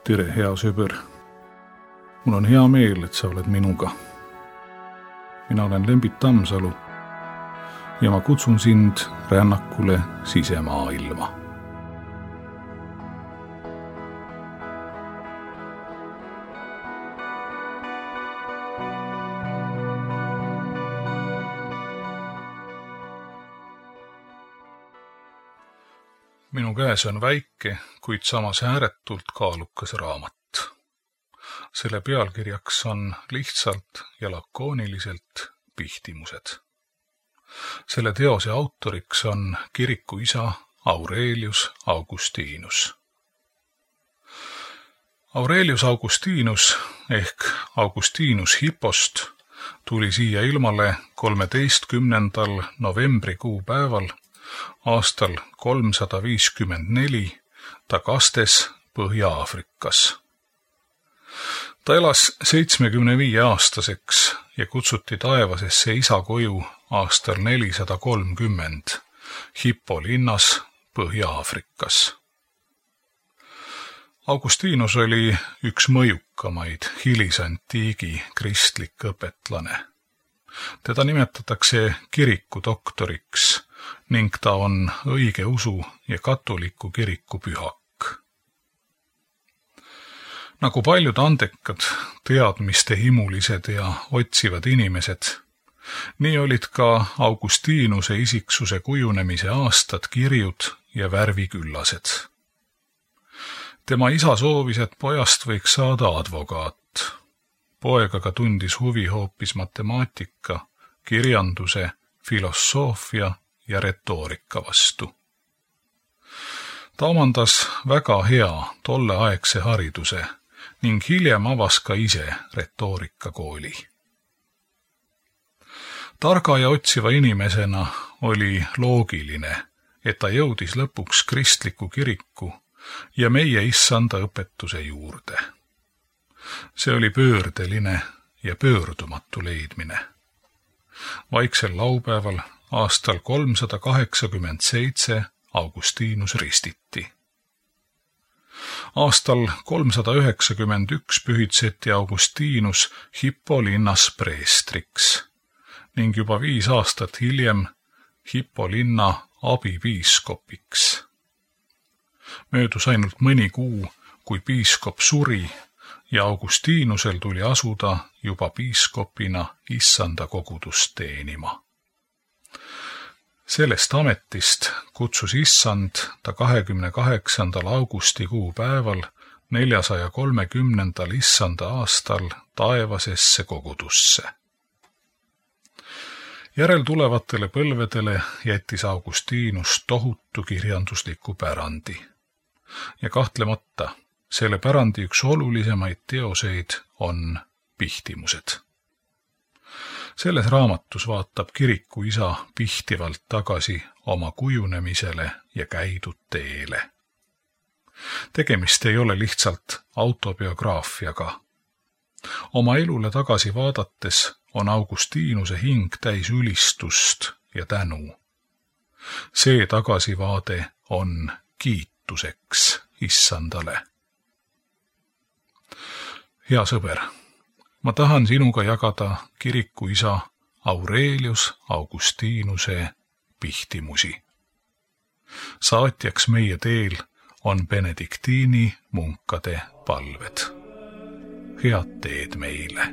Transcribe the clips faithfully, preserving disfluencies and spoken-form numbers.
Tere, hea sõber. Mul on hea meel, et sa oled minuga. Mina olen Lembit Tammsalu ja ma kutsun sind rännakule sisemaailma. Minu käes on väike, kuid samas ääretult kaalukas raamat. Selle pealkirjaks on lihtsalt ja lakooniliselt Pihtimused. Selle teose autoriks on kiriku isa Aurelius Augustinus. Aurelius Augustinus ehk Augustinus Hippost tuli siia ilmale kolmeteistkümnendal novembrikuu päeval aastal kolmsada viiskümmend neli Tagastes Põhja-Aafrikas. Ta elas seitsmekümne viie aastaseks ja kutsuti taevasesse isa koju aastal nelisada kolmkümmend Hippo linnas Põhja-Aafrikas. Augustinus oli üks mõjukamaid hilisantiigi kristlik õpetlane. Teda nimetatakse kiriku doktoriks ning ta on õige usu ja katoliku kiriku pühak. Nagu paljud andekad, teadmiste himulised ja otsivad inimesed, nii olid ka Augustinuse isiksuse kujunemise aastad kirjud ja värviküllased. Tema isa soovis, et pojast võiks saada advokaat. Poeg aga tundis huvi hoopis matemaatika, kirjanduse, filosoofia ja retoorika vastu. Ta omandas väga hea tolleaegse hariduse ning hiljem avas ka ise retoorikakooli. Targa ja otsiva inimesena oli loogiline, et ta jõudis lõpuks kristliku kiriku ja meie issanda õpetuse juurde. See oli pöördeline ja pöördumatu leidmine. Vaiksel laupäeval aastal kolmsada kaheksakümmend seitse Augustinus ristiti. Aastal kolmsada üheksakümmend üks pühitseti Augustinus Hippo linnas preestriks ning juba viis aastat hiljem Hippo linna abipiiskopiks. Möödus ainult mõni kuu, kui piiskop suri ja Augustinusel tuli asuda juba piiskopina issanda kogudust teenima. Sellest ametist kutsus issand ta kahekümne kaheksandal augustikuu päeval neljasaja kolmekümnendal issanda aastal taevasesse kogudusse. Järeltulevatele põlvedele jättis Augustinus tohutu kirjandusliku pärandi. Ja kahtlemata selle pärandi üks olulisemaid teoseid on Pihtimused. Selles raamatus vaatab kiriku isa pihtivalt tagasi oma kujunemisele ja käidud teele. Tegemist ei ole lihtsalt autobiograafiaga. Oma elule tagasi vaadates on Augustinuse hing täis ülistust ja tänu. See tagasivaade on kiituseks issandale. Hea sõber, ma tahan sinuga jagada kiriku isa Aurelius Augustinuse pihtimusi. Saatjaks meie teel on benediktiini munkade palved. Head teed meile!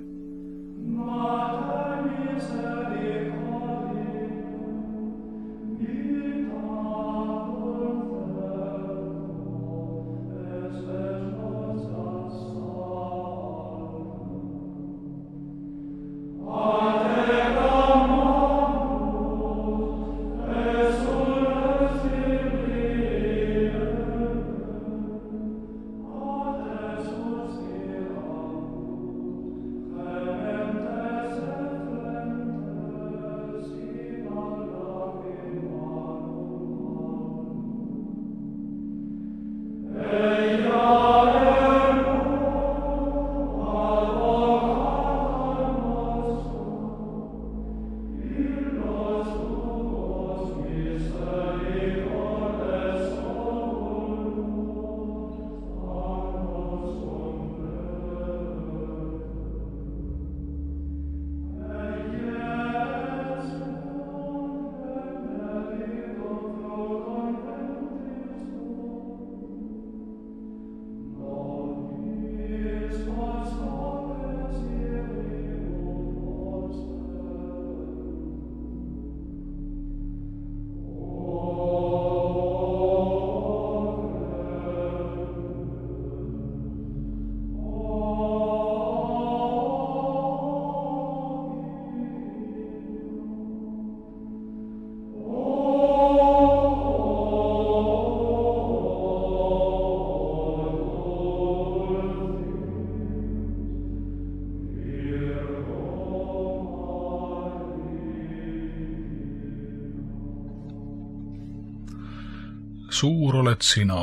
Suur oled sina,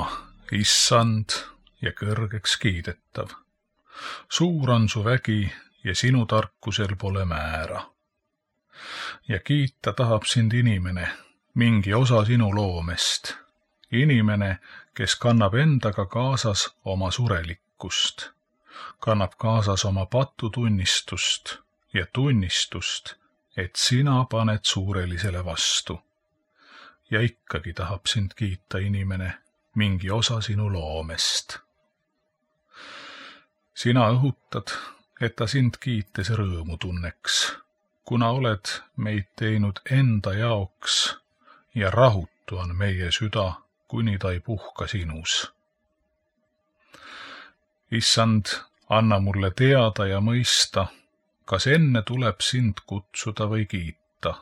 Issand, ja kõrgeks kiidetav. Suur on su vägi ja sinu tarkusel pole määra. Ja kiita tahab sind inimene, mingi osa sinu loomest. Inimene, kes kannab endaga kaasas oma surelikkust, kannab kaasas oma patutunnistust ja tunnistust, et sina paned suurelisele vastu. Ja ikkagi tahab sind kiita inimene, mingi osa sinu loomest. Sina õhutad, et ta sind kiites rõõmu tunneks, kuna oled meid teinud enda jaoks ja rahutu on meie süda, kuni ta ei puhka sinus. Issand, anna mulle teada ja mõista, kas enne tuleb sind kutsuda või kiita,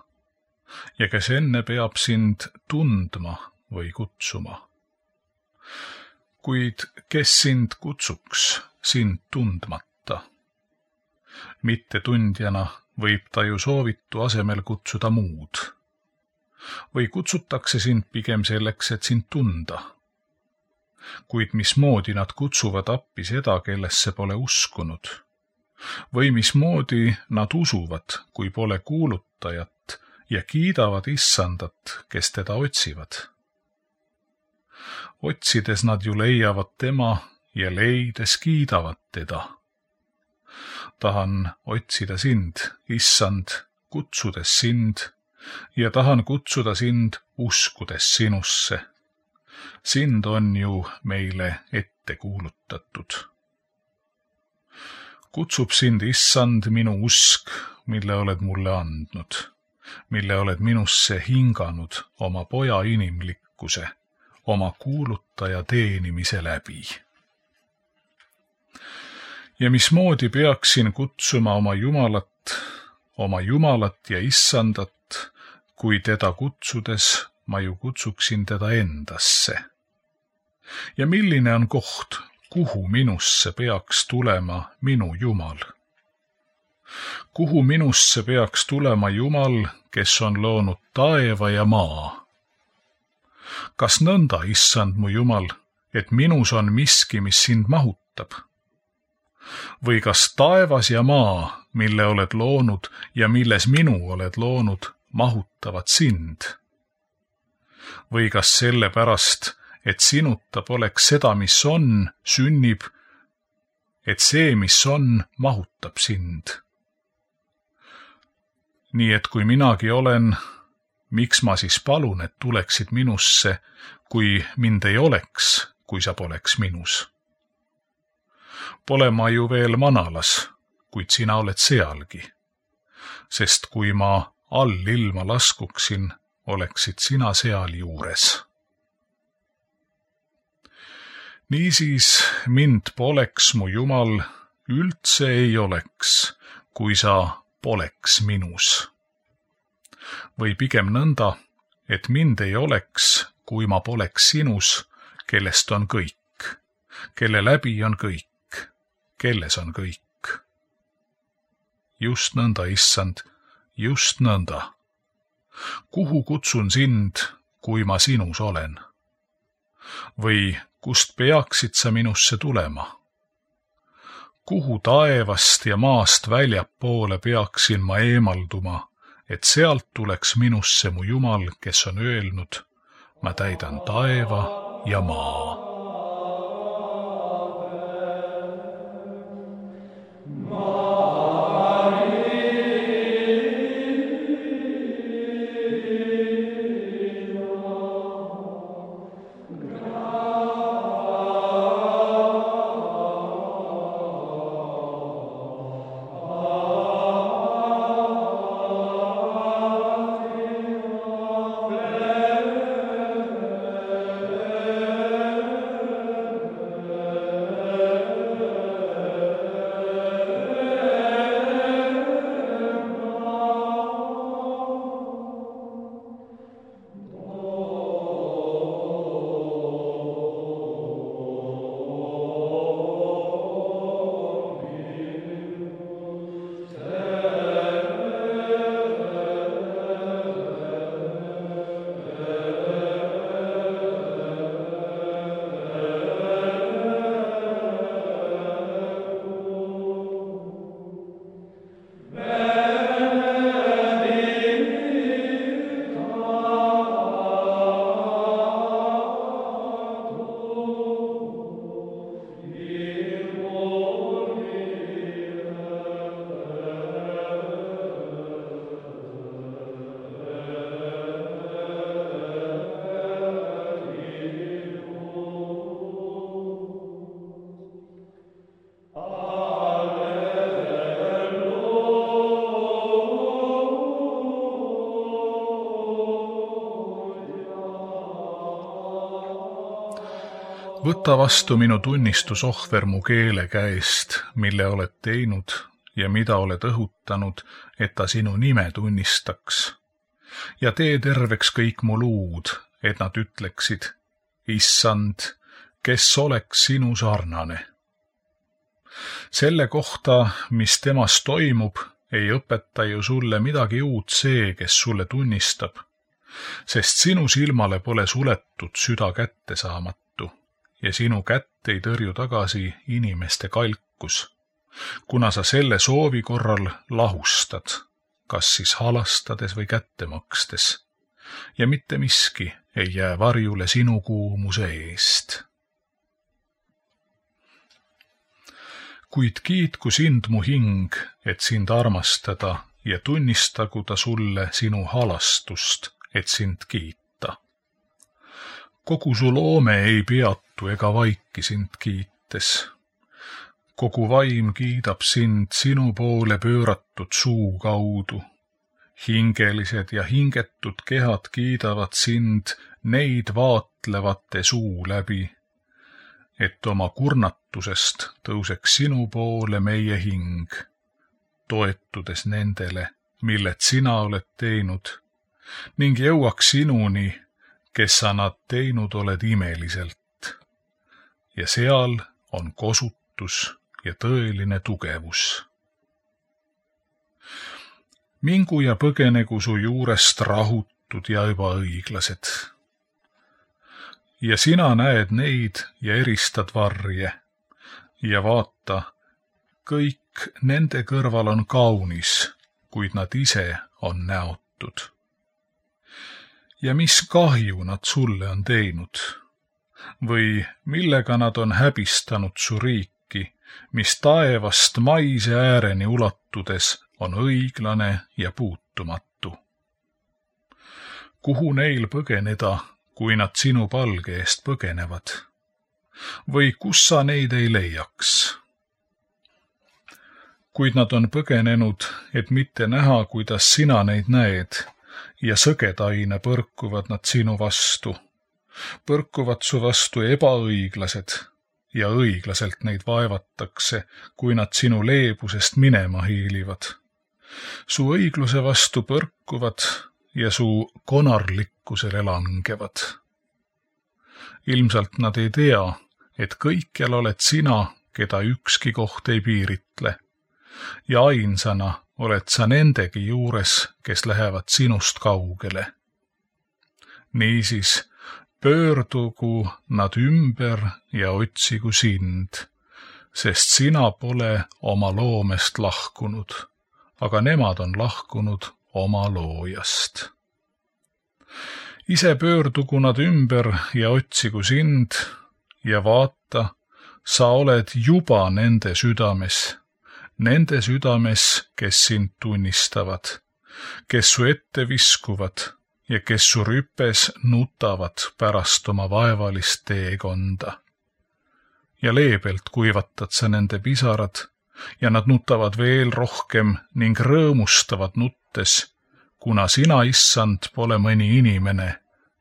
ja kes enne peab sind tundma või kutsuma. Kuid kes sind kutsuks, sind tundmata? Mitte tundjana võib ta ju soovitu asemel kutsuda muud. Või kutsutakse sind pigem selleks, et sind tunda. Kuid mismoodi nad kutsuvad appi seda, kellesse pole uskunud? Või mismoodi nad usuvad, kui pole kuulutajat ja kiidavad Issandat, kes teda otsivad? Otsides nad ju leiavad tema ja leides kiidavad teda. Tahan otsida sind, Issand, kutsudes sind, ja tahan kutsuda sind uskudes sinusse. Sind on ju meile ette kuulutatud. Kutsub sind, Issand, minu usk, mille oled mulle andnud, mille oled minusse hinganud oma poja inimlikkuse, oma kuulutaja teenimise läbi. Ja mismoodi peaksin kutsuma oma Jumalat, oma Jumalat ja Issandat, kui teda kutsudes ma ju kutsuksin teda endasse. Ja milline on koht, kuhu minusse peaks tulema minu Jumal? Kuhu minusse peaks tulema Jumal, kes on loonud taeva ja maa? Kas nõnda, Issand mu Jumal, et minus on miski, mis sind mahutab? Või kas taevas ja maa, mille oled loonud ja milles minu oled loonud, mahutavad sind? Või kas sellepärast, et sinuta poleks seda, mis on, sünnib, et see, mis on, mahutab sind? Nii et kui minagi olen, miks ma siis palun, et tuleksid minusse, kui mind ei oleks, kui sa poleks minus? Pole ma ju veel manalas, kuid sina oled sealgi, sest kui ma all ilma laskuksin, oleksid sina seal juures. Niisiis mind poleks, mu Jumal, üldse ei oleks, kui sa poleks minus. Või pigem nõnda, et mind ei oleks, kui ma poleks sinus, kellest on kõik, kelle läbi on kõik, kelles on kõik. Just nõnda, Issand, just nõnda. Kuhu kutsun sind, kui ma sinus olen? Või kust peaksid sa minusse tulema? Kuhu taevast ja maast väljapoole peaksin ma eemalduma, et sealt tuleks minusse mu Jumal, kes on öelnud, ma täidan taeva ja maa. Võta vastu minu tunnistus ohver mu keele käest, mille oled teinud ja mida oled õhutanud, et ta sinu nime tunnistaks. Ja tee terveks kõik mu luud, et nad ütleksid, Issand, kes oleks sinu sarnane. Selle kohta, mis temas toimub, ei õpeta ju sulle midagi uut see, kes sulle tunnistab, sest sinu silmale pole suletud süda kätte saamatu ja sinu kätt ei tõrju tagasi inimeste kalkus, kuna sa selle soovi korral lahustad, kas siis halastades või kätte makstes, ja mitte miski ei jää varjule sinu kuumuse eest. Kuid kiitku sind mu hing, et sind armastada ja tunnistagu ta sulle sinu halastust, et sind kiita. Kogu su loome ei peatu ega vaiki sind kiites. Kogu vaim kiidab sind sinu poole pööratud suu kaudu. Hingelised ja hingetud kehad kiidavad sind neid vaatlevate suu läbi, et oma kurnatusest tõuseks sinu poole meie hing, toetudes nendele, millet sina oled teinud, ning jõuaks sinuni, kes sa nad teinud oled imeliselt. Ja seal on kosutus ja tõeline tugevus. Mingu ja põgenegu su juurest rahutud ja ebaõiglased. Ja sina näed neid ja eristad varje. Ja vaata, kõik nende kõrval on kaunis, kuid nad ise on näotud. Ja mis kahju nad sulle on teinud? Või millega nad on häbistanud su riiki, mis taevast maise ääreni ulatudes on õiglane ja puutumatu? Kuhu neil põgeneda, kui nad sinu palge eest põgenevad? Või kus sa neid ei leiaks? Kuid nad on põgenenud, et mitte näha, kuidas sina neid näed, ja sõgedaina põrkuvad nad sinu vastu. Põrkuvad su vastu ebaõiglased ja õiglaselt neid vaevatakse, kui nad sinu leebusest minema hiilivad. Su õigluse vastu põrkuvad ja su konarlikkusele langevad. Ilmselt nad ei tea, et kõikjal oled sina, keda ükski koht ei piiritle, ja ainsana oled sa nendegi juures, kes lähevad sinust kaugele. Niisiis, pöördugu nad ümber ja otsigu sind, sest sina pole oma loomest lahkunud, aga nemad on lahkunud oma loojast. Ise pöördugu nad ümber ja otsigu sind, ja vaata, sa oled juba nende südames, nende südames, kes sind tunnistavad, kes su ette viskuvad ja kes su rüpes nutavad pärast oma vaevalist teekonda. Ja leebelt kuivatad sa nende pisarad ja nad nutavad veel rohkem ning rõõmustavad nuttes, kuna sina, Issand, pole mõni inimene,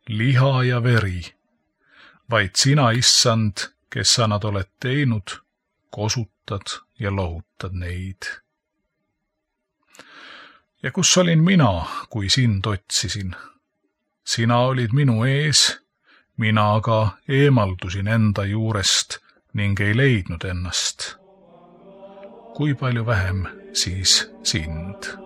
liha ja veri, vaid sina, Issand, kes sa nad oled teinud, kosutad ja lohutad neid. Ja kus olin mina, kui sind otsisin? Sina olid minu ees, mina aga eemaldusin enda juurest ning ei leidnud ennast. Kui palju vähem siis sind?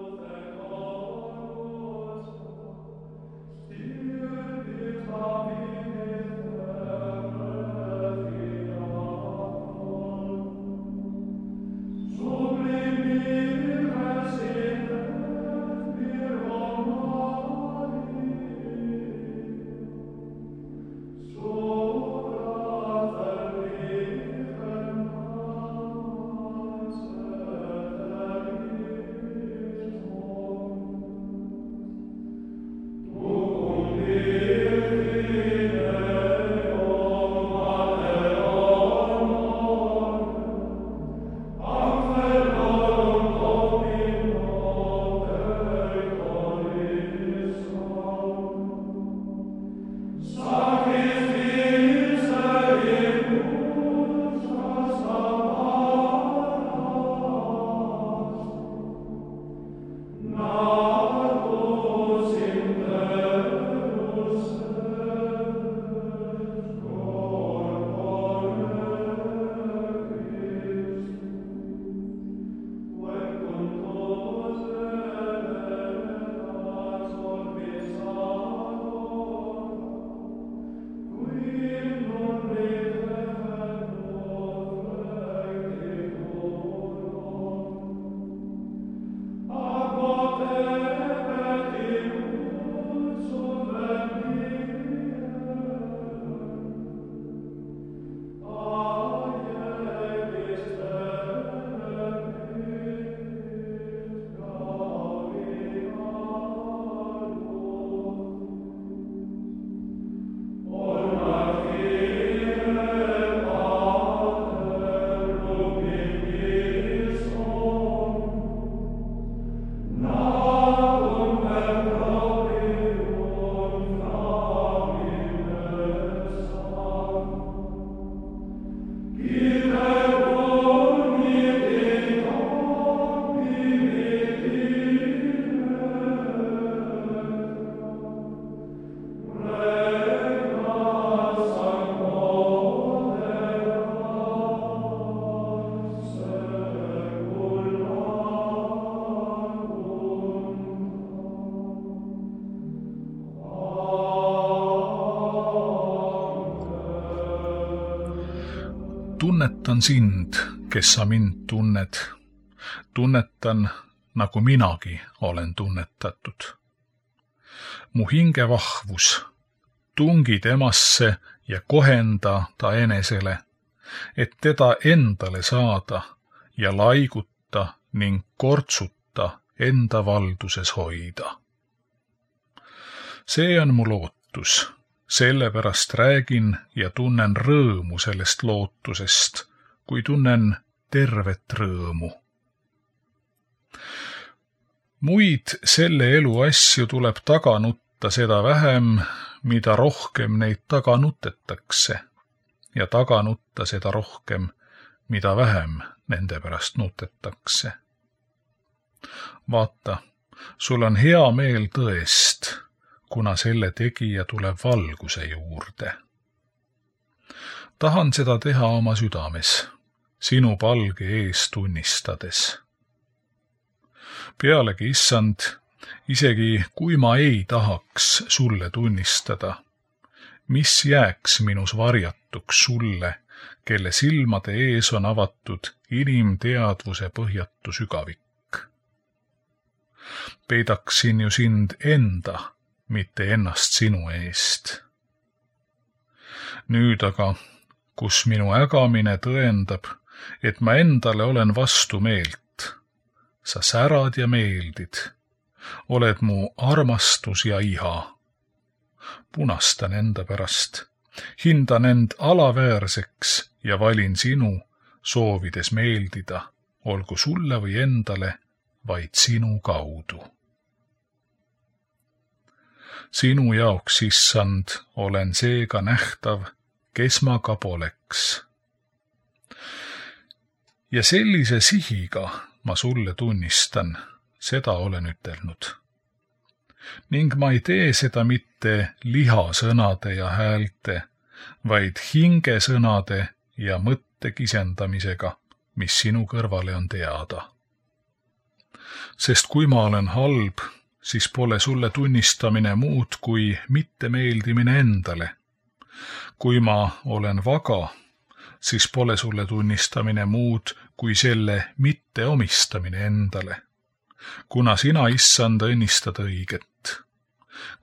tunnetan sind, kes sa mind tunned. Tunnetan, nagu minagi olen tunnetatud. Mu hingevahvus tungi temasse ja kohenda ta enesele, et teda endale saada ja laigutta ning kortsuta enda valduses hoida. See on mu lootus, sellepärast räägin ja tunnen rõõmu sellest lootusest, kui tunnen tervet rõõmu. Muid selle elu asju tuleb taga nutta seda vähem, mida rohkem neid taga nutetakse, ja taga nutta seda rohkem, mida vähem nende pärast nutetakse. Vaata, sul on hea meel tõest, kuna selle tegija tuleb valguse juurde. Tahan seda teha oma südames, sinu palge ees tunnistades. Pealegi, issand, isegi kui ma ei tahaks sulle tunnistada, mis jääks minus varjatuks sulle, kelle silmade ees on avatud inimteadvuse põhjatu sügavik. Peidaksin ju sind enda, mitte ennast sinu eest. Nüüd aga, kus minu ägamine tõendab, et ma endale olen vastu meelt, sa särad ja meeldid, oled mu armastus ja iha. Punastan enda pärast, hindan end alaväärseks ja valin sinu, soovides meeldida, olgu sulle või endale, vaid sinu kaudu. Sinu jaoks, issand, olen seega nähtav, kes ma ka poleks. Ja sellise sihiga ma sulle tunnistan, seda olen ütelnud. Ning ma ei tee seda mitte lihasõnade ja häälte, vaid hingesõnade ja mõtte kisendamisega, mis sinu kõrvale on teada. Sest kui ma olen halb, siis pole sulle tunnistamine muud kui mittemeeldimine endale. Kui ma olen vaga, siis pole sulle tunnistamine muud kui selle mitteomistamine endale. Kuna sina, issand, õnnistad õiget,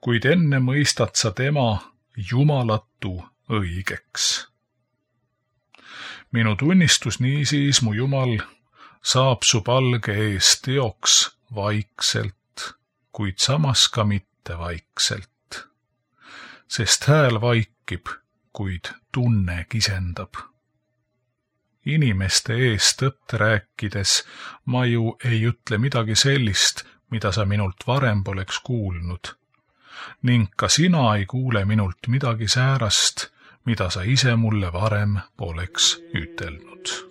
kuid enne mõistad sa tema jumalatu õigeks. Minu tunnistus niisiis, mu Jumal, saab su palge ees teoks vaikselt, kuid samas ka mitte vaikselt. Sest hääl vaikib, kuid tunne kisendab. Inimeste ees tõtt rääkides ma ju ei ütle midagi sellist, mida sa minult varem poleks kuulnud. Ning ka sina ei kuule minult midagi säärast, mida sa ise mulle varem poleks ütelnud.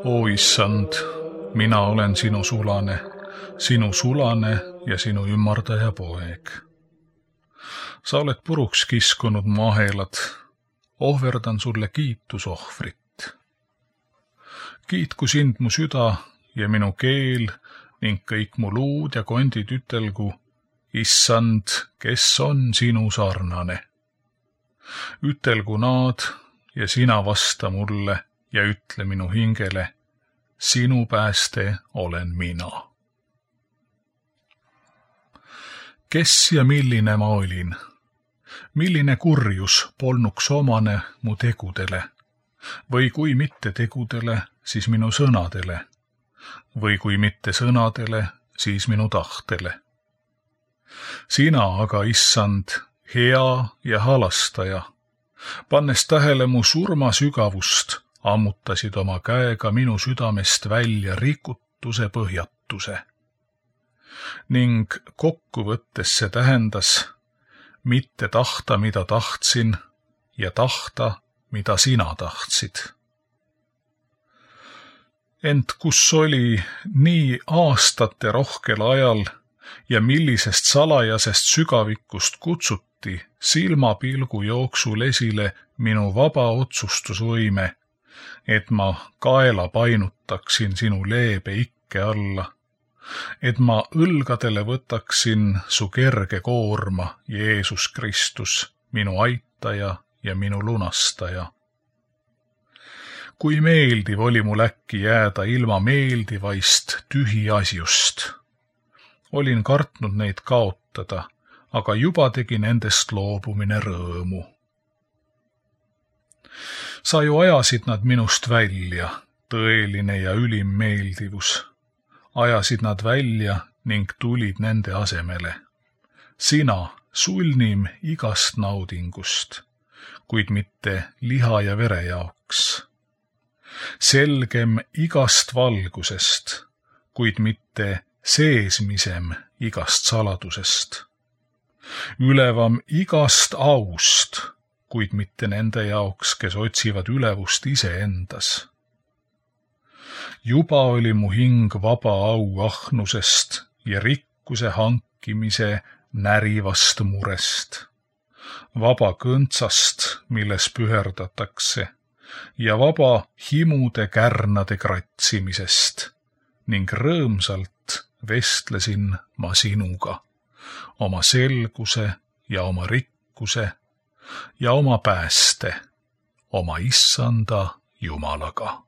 O issand, mina olen sinu sulane, sinu sulane ja sinu ümmardaja poeg. Sa oled puruks kiskunud mu ahelad, ohverdan sulle kiitusohvrit. Kiitku sind mu süda ja minu keel ning kõik mu luud ja kondid ütelgu, issand, kes on sinu sarnane. Ütelgu nad ja sina vasta mulle ja ütle minu hingele, sinu pääste olen mina. Kes ja milline ma olin? Milline kurjus polnuks omane mu tegudele? Või kui mitte tegudele, siis minu sõnadele? Või kui mitte sõnadele, siis minu tahtele? Sina aga, issand, hea ja halastaja, pannes tähele mu surma sügavust, ammutasid oma käega minu südamest välja rikutuse põhjatuse. Ning kokkuvõttes see tähendas mitte tahta, mida tahtsin, ja tahta, mida sina tahtsid. Ent kus oli nii aastate rohkel ajal ja millisest salajasest sügavikust kutsuti silmapilgu jooksul esile minu vaba otsustusvõime, et ma kaela painutaksin sinu leebe ikke alla, et ma õlgadele võtaksin su kerge koorma, Jeesus Kristus, minu aitaja ja minu lunastaja. Kui meeldiv oli mul äkki jääda ilma meeldivaist tühiasjust. Olin kartnud neid kaotada, aga juba tegi nendest loobumine rõõmu. Sa ju ajasid nad minust välja, tõeline ja ülim meeldivus. Ajasid nad välja ning tulid nende asemele. Sina, sulnim igast naudingust, kuid mitte liha ja vere jaoks. Selgem igast valgusest, kuid mitte seesmisem igast saladusest. Ülevam igast aust, kuid mitte nende jaoks, kes otsivad ülevust iseendas. Juba oli mu hing vaba au ahnusest ja rikkuse hankimise närivast murest. Vaba kõntsast, milles püherdatakse, ja vaba himude kärnade kratsimisest, ning rõõmsalt vestlesin ma sinuga, oma selguse ja oma rikkuse ja oma pääste, oma issanda Jumalaga.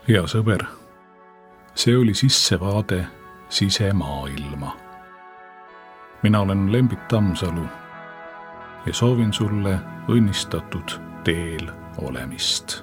hea sõber, see oli sissevaade sisemaailma. Mina olen Lembit Tammsalu ja soovin sulle õnnistatud teel olemist.